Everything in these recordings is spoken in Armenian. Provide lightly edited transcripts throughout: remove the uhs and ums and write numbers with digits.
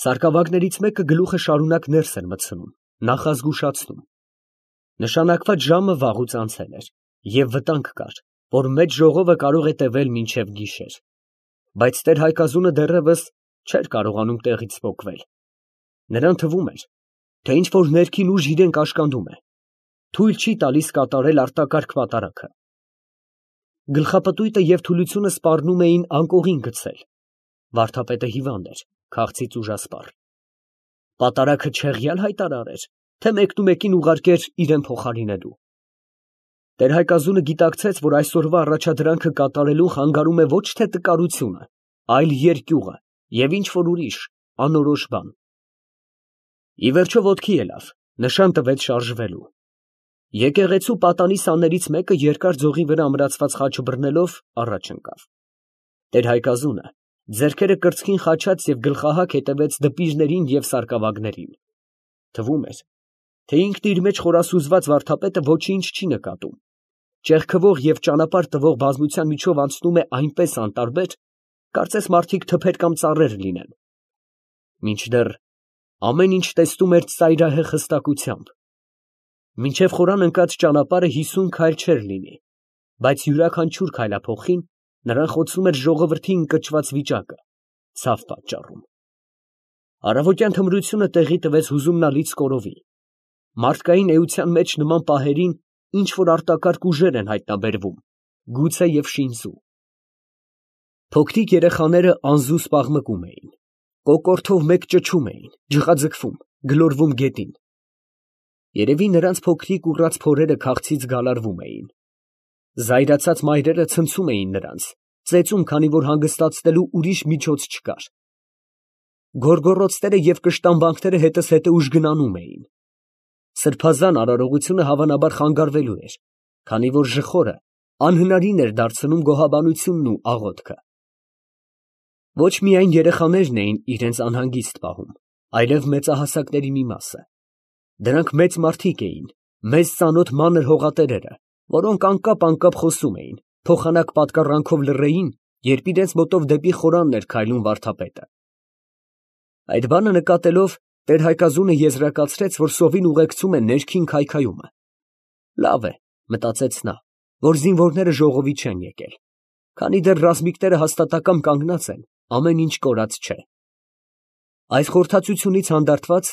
Սարկավագներից մեկը գլուխը շարունակ ներս էր մտցնում, նախազգուշացնում. նշանակված ժամը վաղուց անցել էր, և վտանգ կար, որ մեծ ժողովը կարող է տևել մինչև գիշեր, բայց տեր֊Հայկազունը դեռևս չէր կարողանում տեղից պոկվել. նրան թվում էր, թե ինչ֊որ ներքին ուժ իրեն կաշկանդում է, թույլ չի տալիս կատարել արտակարգ պատարագը։ Գլխապտույտը և թուլությունը սպառնում էին անկողին գցել. վարդապետը հիվանդ էր, քաղցից ուժասպառ։ Պատարագը չեղյալ հայտարար էր, թե մեկնումեկին ուղարկեր իրան փոխարինելու։ Տեր֊Հայկազունը գիտակցեց, որ այսօրվա առաջադրանքը կատարելուն խանգարում է ոչ թե տկարությունը, այլ երկյուղը և ինչ֊որ ուրիշ անորոշ բան։ Ի վերջո ոտքի ելավ, նշան տվեց շարժվելու։ Եկեղեցու պատանի սաներից մեկը երկար ձողի վրա ամրացված խաչը բռնելով առաջ ընկավ։ Տեր֊Հայկազունը ձեռքերը կրծքին խաչած և գլխահակ հետևեց դպիրներին և սարկավագներին։ Թվում էր, թե ինքն իր մեջ խորասուզված վարդապետը ոչինչ չի նկատում, ճեղքվող և ճանապարհ տվող բազմության միջով անցնում է այնպես անտարբեր, կարծես մարդիկ թփեր կամ ծառեր լինեն։ Մինչդեռ ամեն ինչ տեսնում էր ծայրահեղ հստակությամբ։ Մինչև խորան ընկած ճանապարհը 50 քայլ չէր լինի, բայց յուրաքանչյուր քայլափոխին նրան խոցում էր ժողովրդի ընկճված վիճակը, ցավ պատճառում։ Առավոտյան թմրությունը տեղի տվեց հուզումնալից կորովի։ Մարդկային էության մեջ նման պահերին ինչ֊որ արտակարգ ուժեր են հայտնաբերվում, գուցե և շինծու։ Փոքրիկ երեխաները անզուսպ աղմկում էին, կոկորդով մեկ ճչում էին, ջղաձգվում, գլորվում գետին։ Երևի նրանց փոքրիկ ուռած փորերը քաղցից գալարվում էին։ Զայրացած մայրերը ցնցում էին նրանց, ծեծում, քանի որ հանգստացնելու ուրիշ միջոց չկար։ Գոռգոռոցները և կշտամբանքները հետզհետե ուժգնանում էին։ Սրբազան արարողությունը հավանաբար խանգարվելու էր, քանի որ ժխորը անհնարին էր դարձնում գոհաբանությունն ու աղոթքը։ Ոչ միայն երեխաներն էին իրենց անհանգիստ պահում, այլև մեծահասակների մի մասը։ Դրանք մեծ մարդիկ էին, մեզ ծանոթ մանր հողատերերը, որոնք անկապ խոսում էին, փոխանակ պատկառանքով լռեին, երբ իրենց մոտով դեպի խորանն էր քայլում վարդապետը։ Այդ բանը նկատելով, տեր֊Հայկազունը եզրակացրեց, որ սովին ուղեկցում է ներքին քայքայումը։ Լավ է, մտածեց նա, որ զինվորները ժողովի չեն եկել, քանի դեռ ռազմիկները հաստատակամ կանգնած են, ամեն ինչ կորած չէ։ Այս խորհրդածությունից հանդարտված,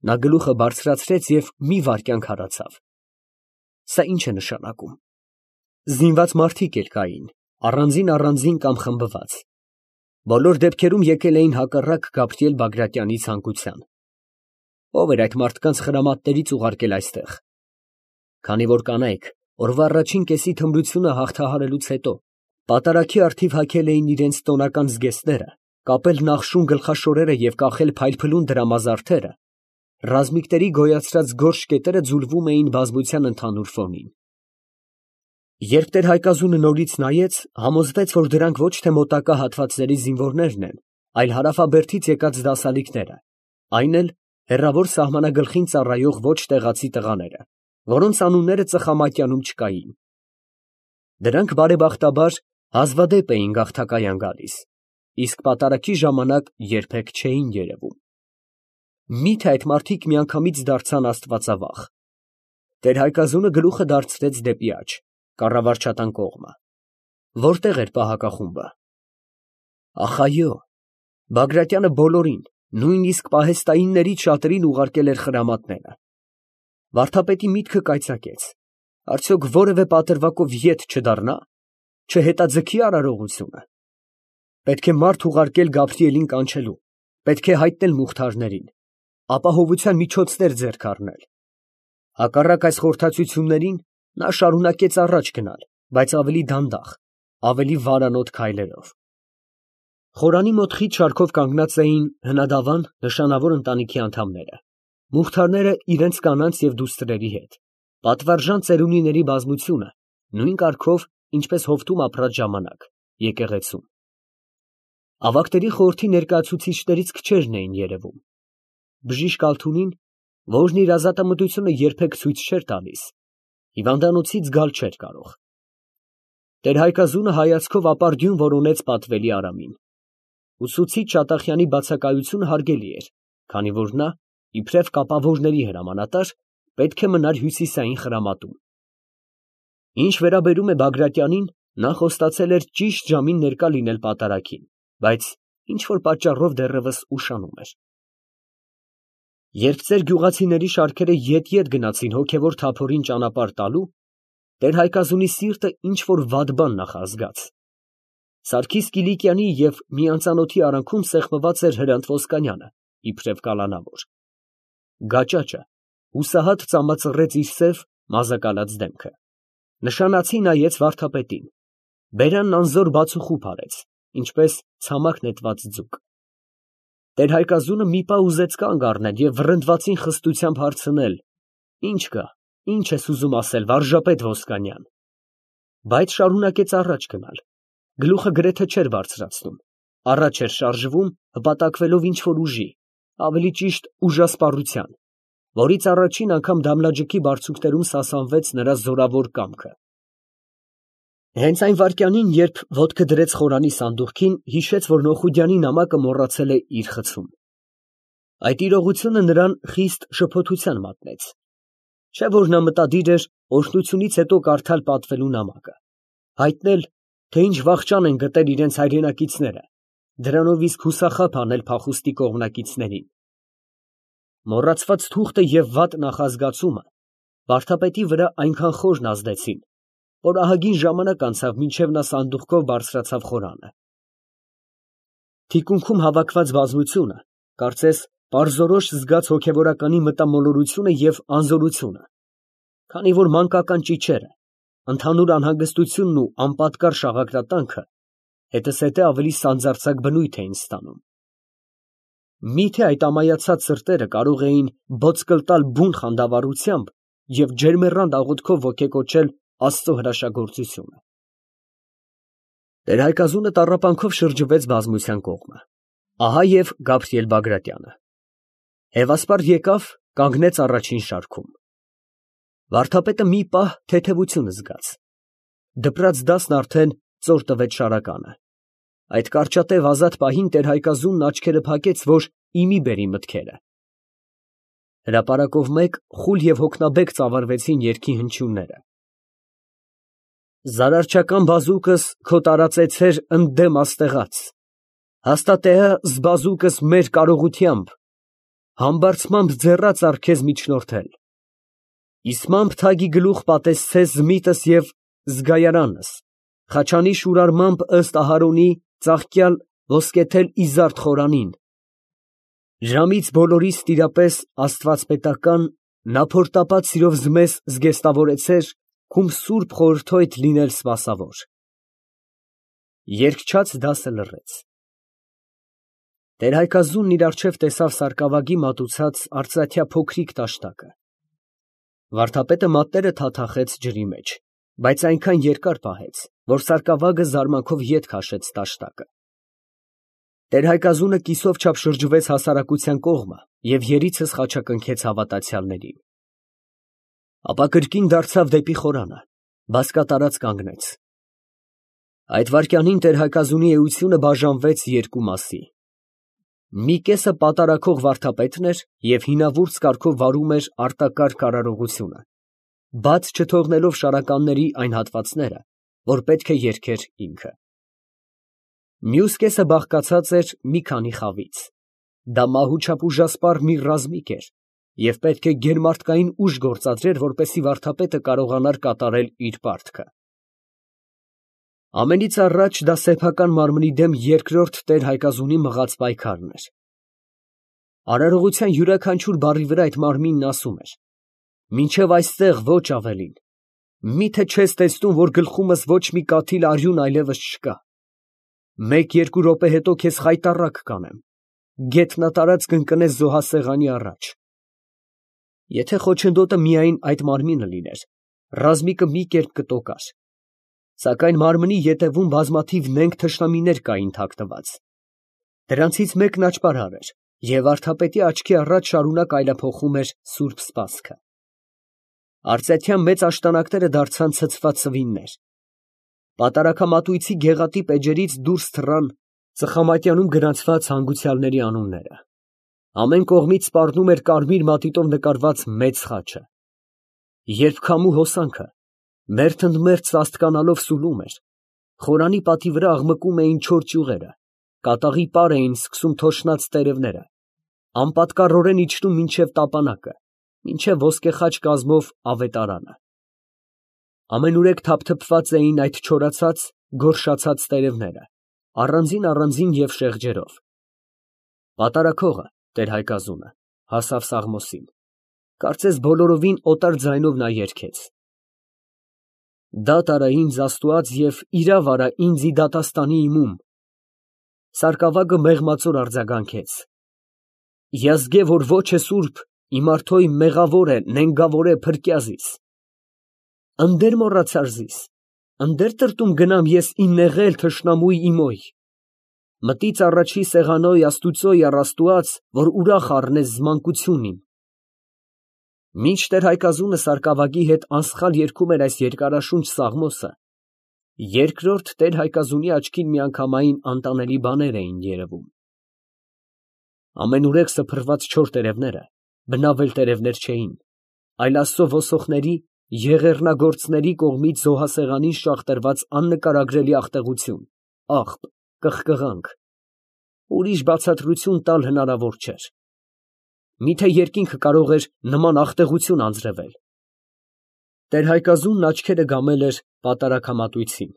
նա գլուխը բարձրացրեց և մի վայրկյան քարացավ։ Սա ի՞նչ է նշանակում։ Զինված մարդիկ էլ կային, առանձին կամ խմբված։ Բոլոր դեպքերում եկել էին հակառակ Գաբրիել Բագրատյանի ցանկության։ Ո՞վ էր այդ մարդկանց խրամատներից ուղարկել այստեղ։ Քանի որ կանայք օրվա առաջին կեսի թմրությունը հաղթահարելուց հետո պատարագի առթիվ հագել էին իրենց տոնական զգեստները, կապել նախշուն գլխաշորերը և կախել փայլփլուն դրամազարդերը, ռազմիկների գոյացրած գորշ կետերը ձուլվում էին բազմության ընդհանուր ֆոնին։ Երբ տեր֊Հայկազունը նորից նայեց, համոզվեց, որ դրանք ոչ թե մոտակա հատվածների զինվորներն են, այլ հարավաբերդից եկած դասալիկները, այն էլ հեռավոր սահմանագլխին ծառայող ոչ տեղացի տղաները, որոնց անունները ծխամատյանում չկային։ Դրանք բարեբախտաբար հազվադեպ էին գաղթակայան գալիս, իսկ պատարագի ժամանակ երբեք չէին երևում։ Մի՞թե այդ մարդիկ միանգամից դարձան աստվածավախ։ Տեր֊Հայկազունը գլուխը դարձրեց դեպի աջ, կառավարչատան կողմը։ Որտե՞ղ էր պահակախումբը։ Ախ, այո, Բագրատյանը բոլորին, նույնիսկ պահեստայիններից շատերին ուղարկել էր խրամատները։ Վարդապետի միտքը կայծակեց. արդյոք որևէ պատրվակով ետ չդառնա, չհետաձգի արարողությունը։ Պետք է մարդ ուղարկել Գաբրիելին կանչելու, պետք է հայտնել մուղթարներին, ապահովության միջոցներ ձեռք առնել։ Հակառակ այս խորհրդածություններին նա շարունակեց առաջ գնալ, բայց ավելի դանդաղ, ավելի վարանոտ քայլերով։ Խորանի մոտ խիտ շարքով կանգնած էին հնադավան նշանավոր ընտանիքի անդամները, մուղթարները իրենց կանանց և դուստրերի հետ, պատվարժան ծերունիների բազմությունը, նույն կարգով, ինչպես հովտում ապրած ժամանակ, եկեղեցում։ Ավագների խորհրդի ներկայացուցիչներից քչերն էին երևում։ Բժիշկ Ալթունին, որն իր ազատամտությունը երբեք ցույց չէր տալիս, հիվանդանոցից գալ չէր կարող։ Տեր֊Հայկազունը հայացքով ապարդյուն որոնեց պատվելի Արամին։ Ուսուցիչ Շատախյանի բացակայությունը հարգելի էր, քանի որ նա, իբրև կապավորների հրամանատար, պետք է մնար հյուսիսային խրամատում։ Ինչ վերաբերում է Բագրատյանին, նա խոստացել էր ճիշտ ժամին ներկա լինել պատարագին, բայց ինչ-որ պատճառով դեռևս ուշանում էր։ Երբ ծեր գյուղացիների շարքերը ետ գնացին հոգևոր թափորին ճանապարհ տալու, տեր Հայկազունի սիրտը ինչ-որ վատ բան նախազգաց։ Սարգիս Կիլիկյանի և մի անծանոթի արանքում սեղմված էր Հրանտ Ոսկանյանը, իբրև կալանավոր։ Գաճաճը հուսահատ ծամածռեց իր սև մազակալած դեմքը, նշանացի նայեց վարդապետին, բերանն անզոր բացուխուփ արեց, ինչպես ցամաք նետված ձուկ։ Տեր Հայկազունը մի պահ ուզեց կանգ առնել և վռնդվածին խստությամբ հարցնել. «Ի՞նչ կա, ի՞նչ ես ուզում ասել, վարժապետ Ոսկանյան»։ Բայց շարունակեց առաջ գնալ, գլուխը գրեթե չէր բարձրացնում, առաջ էր շարժվում, հպատակվելով ինչ֊որ ուժի, ավելի ճիշտ ուժասպառության, որից առաջին անգամ դամլաջքի բարձունքներում սասանվեց նրա զորավոր կամքը։ Հենց այն վայրկյանին, երբ ոտքը դրեց խորանի սանդուղքին, հիշեց, որ Նոխուդյանի նամակը մոռացել է իր խցում։ Այդ իրողությունը նրան խիստ շփոթության մատնեց։ Չէ՞ որ նա մտադիր էր օրհնությունից հետո կարդալ պատվելու նամակը, հայտնել, թե ինչ վախճան են գտել իրենց հայրենակիցները, դրանով իսկ հուսախաբ անել փախուստի կողմնակիցներին։ Մոռացված թուղթը և վատ նախազգացումը վարդապետի վրա այնքան խորն ազդեցին, որ ահագին ժամանակ անցավ, մինչև նա սանդուղքով բարձրացավ խորանը։ Թիկունքում հավաքված բազմությունը, կարծես, պարզորոշ զգաց հոգևորականի մտամոլորությունը և անզորությունը, քանի որ մանկական ճիչերը, ընդհանուր անհանգստությունն ու անպատկառ շաղակրատանքը հետզհետե ավելի սանձարձակ բնույթ էին ստանում։ Միթե այդ ամայացած սրտերը կարող էին ոտցկլ տալ բուն խանդավառությամբ և ջերմեռանդ աղոթքով ոգեկոչել Աստծո հրաշագործությունը։ Տեր Հայկազունը տառապանքով շրջվեց բազմության կողմը։ Ահա և Գաբրիել Բագրատյանը։ Հևասպար եկավ, կանգնեց առաջին շարքում։ Վարդապետը մի պահ թեթևություն զգաց։ Դպրած դասն արդեն ծոր տվեց շարականը։ Այդ կարճատև ազատ պահին տեր Հայկազունն աչքերը փակեց, որ իմի բերի մտքերը։ Հրապարակով մեկ խուլ և հոգնաբեկ ծավալվեցին երգի հնչյունները։ Զարարչական բազուկս քո տարածեցեր ընդդեմ աստեղած, հաստատեա զբազուկս մեր կարողությամբ, համբարձմամբ ձեռաց առ քեզ միջնորդել, իսմամբ թագի գլուխ պատեսցես զմիտս և զգայարանս, խաչանի շուրարմամբ ըստ Ահարոնի ծաղկյալ ոսկեթել իզարդ խորանին, ժամից բոլորիս տիրապես աստվածպետական, նա փորտապատ սիրով զմես զգեստավորեցեր, քում սուրբ խորհրդոյթ լինել սպասավոր։ Երգչաց դասը լռեց։ Տեր Հայկազունն իր առջև տեսավ սարկավագի մատուցած արծաթյա փոքրիկ տաշտակը։ Վարդապետը մատները թաթախեց ջրի մեջ, բայց այնքան երկար պահեց, որ սարկավագը զարմանքով ետ քաշեց տաշտակը։ Տեր Հայկազունը կիսով չափ շրջվեց հասարակության կողմը և երիցս խաչակնքեց հավատացյալներին։ Ապա կրկին դարձավ դեպի խորանը, բազկատարած կանգնեց։ Այդ վայրկյանին տեր Հայկազունի էությունը բաժանվեց երկու մասի։ Մի կեսը պատարագող վարդապետն էր և հինավուրց կարգով վարում էր արտակարգ արարողությունը, բաց չթողնելով շարականների այն հատվածները, որ պետք է երգեր ինքը։ Մյուս կեսը բաղկացած էր մի քանի խավից։ Դա մահուչապ ուժասպառ մի ռազմիկ էր և պետք է գերմարտկային ուժ գործադրեր, որպեսզի վարդապետը կարողանար կատարել իր պարտքը։ Ամենից առաջ դա սեփական մարմնի դեմ երկրորդ տեր Հայկազունի մղած պայքարն էր։ Արարողության յուրաքանչյուր բառի վրա այդ մարմինն ասում էր. «Մինչև այստեղ ոչ ավելին, մի՞թե չես տեսնում, որ գլխումս ոչ մի կաթիլ արյուն այլևս չկա։ Մեկ֊երկու րոպե հետո քեզ խայտառակ կանեմ, գետնատարած կընկնես զոհասեղանի առաջ։ Եթե խոչընդոտը միայն այդ մարմինը լիներ, ռազմիկը մի կերպ կտոկար, սակայն մարմնի ետևում բազմաթիվ նենգ թշնամիներ կային թաքնված։ Դրանցից մեկն աճպարար էր, և վարդապետի աչքի առաջ շարունակ այլափոխում էր սուրբ սպասքը։ Արծաթյան մեծ աշտանակները դարձան ցցված սվիններ։ Պատարագամատույցի գեղատիպ էջերից դուրս թռան Ծխամատյանում գրանցված հանգուցյալների անունները։ Ամեն կողմից սպառնում էր կարմիր մատիտով նկարված մեծ խաչը։ Երբ քամու հոսանքը մերթ ընդ մերթ սաստկանալով սուլում էր, խորանի պատի վրա աղմկում էին չոր ճյուղերը, կատաղի պար էին սկսում թոշնած տերևները, անպատկառորեն իջնում մինչև տապանակը, մինչև ոսկեխաչ կազմով ավետարանը։ Ամենուրեք թափթփված էին այդ չորացած, գորշացած տերևները, առանձին և շեղջերով։ Պատարագողը, տեր Հայկազունը, հասավ Սաղմոսին, կարծես բոլորովին օտար ձայնով նա երգեց. «Դատ արա ինձ Աստուած և իրավ արա ինձ ի դատաստանի իմում»։ Սարկավագը մեղմածոր արձագանքեց. «Յազգե որ ոչ է սուրբ, իմ արթոյ մեղավոր է, նենգավոր է փրկյազիս։ Ընդեր մոռացար զիս, ընդեր տրտում գնամ ես իմ նեղել թշնամուй իմոյ։ Մտից առաջի սեղանոյ Աստուծոյ առ Աստուած, որ ուրախ առնես զմանկություն իմ»։ Մինչ տեր Հայկազունը սարկավագի հետ անսխալ երգում էր այս երկարաշունչ սաղմոսը, երկրորդ տեր Հայկազունի աչքին միանգամայն անտանելի բաներ էին երևում։ Ամենուրեք սփռված չոր տերևները բնավել տերևներ չէին, այլ Աստծո ոսողների, եղեռնագործների կողմից զոհասեղանին շաղ տրված աննկարագրելի աղտեղություն, աղբ, կղկղանք։ Ուրիշ բացատրություն տալ հնարավոր չէր։ Միթե երկինքը կարող էր նման աղտեղություն անձրևել։ Տեր Հայկազունն աչքերը գամել էր պատարագամատույցին,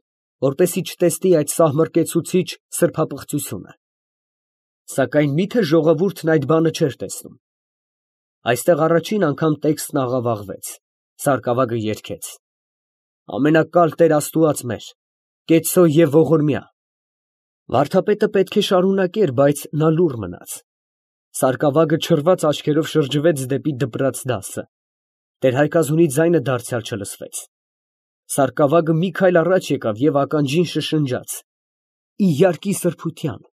որպեսզի չտեսնի այդ սահմռկեցուցիչ սրբապղծությունը։ Սակայն միթե ժողովուրդն այդ բանը չէր տեսնում։ Այստեղ առաջին անգամ տեքստն աղավաղվեց, սարկավագը երգեց. «Ամենակալ Տեր Աստուած մեր, կեցո և ողորմյա»։ Վարդապետը պետք է շարունակեր, բայց նա լուռ մնաց։ Սարկավագը չռված աչքերով շրջվեց դեպի դպրաց դասը։ Տեր Հայկազունի ձայնը դարձյալ չլսվեց։ Սարկավագը մի քայլ առաջ եկավ և ականջին շշնջաց. «Ի յարկի սրբության»։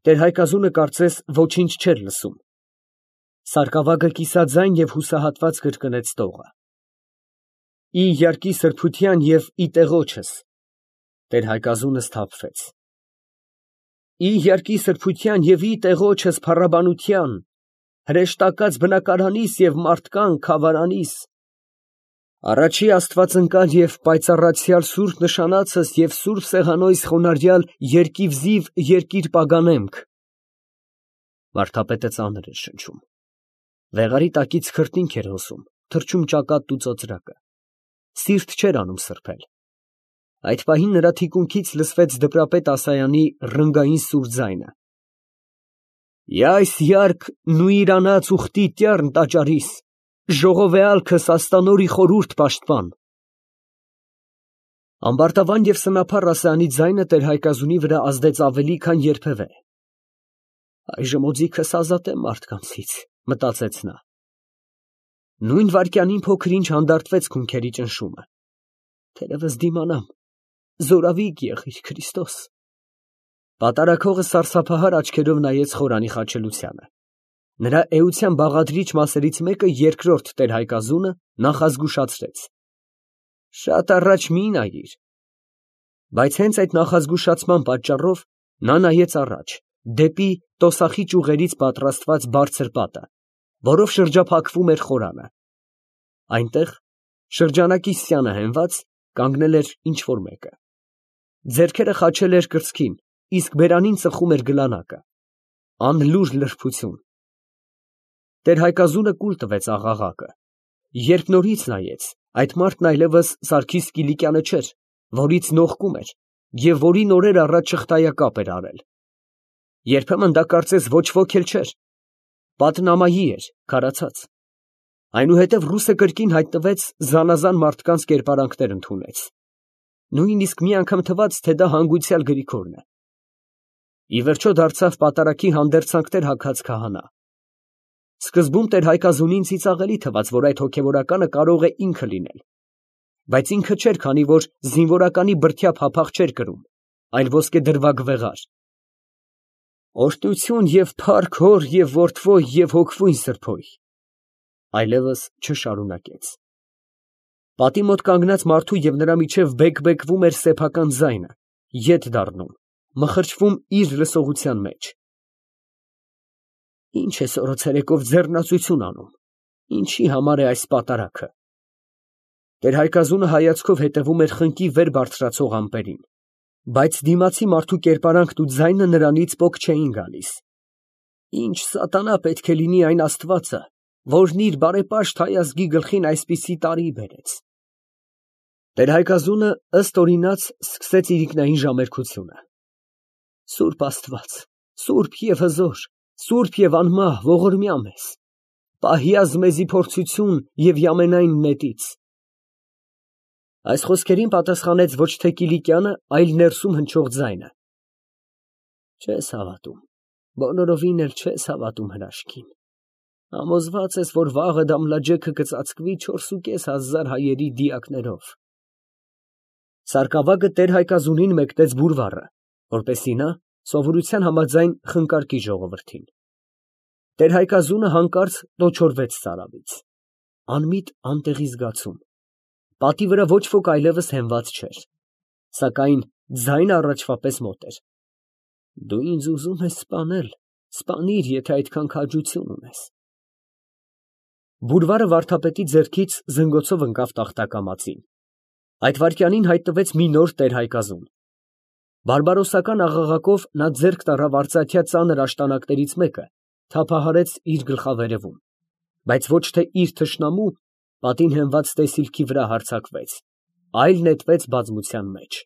Տեր Հայկազունը կարծես ոչինչ չէր լսում։ Սարկավագը կիսաձայն և հուսահատված կրկնեց տողը. «Ի յարկի սրբության և ի տեղոչս»։ Տեր Հայկազունը սթափվեց։ «Ի յարկի սրբության և ի տեղոչս փառաբանության, հրեշտակած բնակարանիս և մարդկան քավարանիս, առաջի աստվածընկալ և պայծառացյալ սուրբ նշանածս և սուրբ սեղանոյս խոնարհյալ երկիվզիվ երկիր պագանեմք»։ Վարդապետը ծանր էր շնչում։ Վեղարի տակից քրտինք էր հոսում, թռչում ճակատն ու ծոծրակը։ Սիրտ չէր անում սրբել։ Այդ պահին նրա թիկունքից լսվեց դպրապետ Ասայանի ռնգային սուր ձայնը. «Յայս յարկ նուիրանաց ուխտի տյառն տաճարիս, ժողովեալքը սաստանորի խորուրդ պաշտպան»։ Ամբարտավան և սնափառ Ասայանի ձայնը տեր Հայկազունի վրա ազդեց ավելի, քան երբևէ։ «Այժմ օձիքս ազատեմ մարդկանցից», մտածեց նա։ Նույն վայրկյանին փոքր ինչ հանդարտվեց քունքերի ճնշումը։ Թերևս դիմանամ, զորավիկ եղիր Քրիստոս։ Պատարագողը սարսափահար աչքերով նայեց խորանի խաչելությանը։ Նրա էության բաղադրիչ մասերից մեկը երկրորդ տեր Հայկազունը նախազգուշացրեց. «Շատ առաջ մի նայիր»։ Բայց հենց այդ նախազգուշացման պատճառով նա նայեց առաջ, դեպի տոսախի ճյուղերից պատրաստված բարձր պատը, որով շրջափակվում էր խորանը։ Այնտեղ, շրջանակի սյանը հենված, կանգնել էր ինչ֊որ մեկը։ Ձեռքերը խաչել էր կրծքին, իսկ բերանին ծխում էր գլանակը։ Անլուր լրբություն։ Տեր Հայկազունը կուլ տվեց աղաղակը։ Երբ նորից նայեց, այդ մարդն այլևս Սարգիս Կիլիկյանը չէր, որից նողկում էր և որին օրեր առաջ շղթայակապ էր արել։ Երբեմն դա կարծես ոչ ոք էլ չէր, պատն ամայի էր, քարացած։ Այնուհետև ռուսը կրկին հայտնվեց, զանազան մարդկանց կերպարանքներ ընդունեց։ Նույնիսկ մի անգամ թվաց, թե դա հանգուցյալ Գրիգորն է։ Ի վերջո դարձավ պատարագի հանդերձանքներ հագած քահանա։ Սկզբում տեր Հայկազունին ծիծաղելի թվաց, որ այդ հոգևորականը կարող է ինքը լինել, բայց ինքը չէր, քանի որ զինվորականի բրդյա փափախ չէր կրում, այլ ոսկեդրվագ վեղար։ «Օրհնություն և փառք Հոր և Որդվո և Հոգվույն Սրբոյ», այլևս չշարունակեց։ Պատի մոտ կանգնած մարդու և նրա միջև բեկ֊բեկվում էր սեփական ձայնը, ետ դառնում, մխրճվում իր լսողության մեջ։ Ինչ ես օրացերեկով ձեռնացություն անում, ինչի համար է այս պատարագը։ Տեր-Հայկազունը հայացքով հետևում էր խնկի վեր բարձրացող ամպերին, բայց դիմացի մարդու կերպարանքն ու ձայնը նրանից պոկ չէին գալիս։ Ինչ սատանա պետք է լինի այն Աստվածը, որն իր բարեպաշտ հայ ազգի գլխին այսպիսի տարի բերեց։ Տեր-Հայկազունը ըստ օրինաց սկսեց իրիկնային ժամերկությունը։ Սուրբ Աստված, սուրբ և հզոր, սուրբ և անմահ, ողորմյա մեզ, պահյազ մեզի փորձություն և յամենայն նետից։ Այս խոսքերին պատասխանեց ոչ թե Կիլիկյանը, այլ ներսում հնչող ձայնը. Չես հավատում, բոլորովին էլ չես հավատում հրաշքին, համոզված ես, որ վաղը Դամլաջեքը կծածկվի 4,500 հայերի դիակներով։ Սարկավագը Տեր-Հայկազունին մեկնեց բուրվառը, որպեսզի նա սովորության համաձայն խնկարկի ժողովրդին։ Տեր-Հայկազունը հանկարծ տոչորվեց ծարավից, անմիտ անտեղի զգացում, պատի վրա ոչ ոք այլևս հենված չէր, սակայն ձայնը առաջվա պես մոտ էր։ Դու ինձ ուզում ես սպանել, սպանիր, եթե այդքան քաջություն ունես։ Բուրվառը վարդապետի ձեռքից զնգոցով ընկավ տախտակամածին։ Այդ վայրկյանին հայտնվեց մի նոր Տեր-Հայկազուն։ Բարբարոսական աղաղակով նա ձեռք տարավ արծաթյա ծանր աշտանակներից մեկը, թափահարեց իր գլխավերևում, բայց ոչ թե իր թշնամու, պատին հենված տեսիլքի վրա հարձակվեց, այլ նետվեց բազմության մեջ։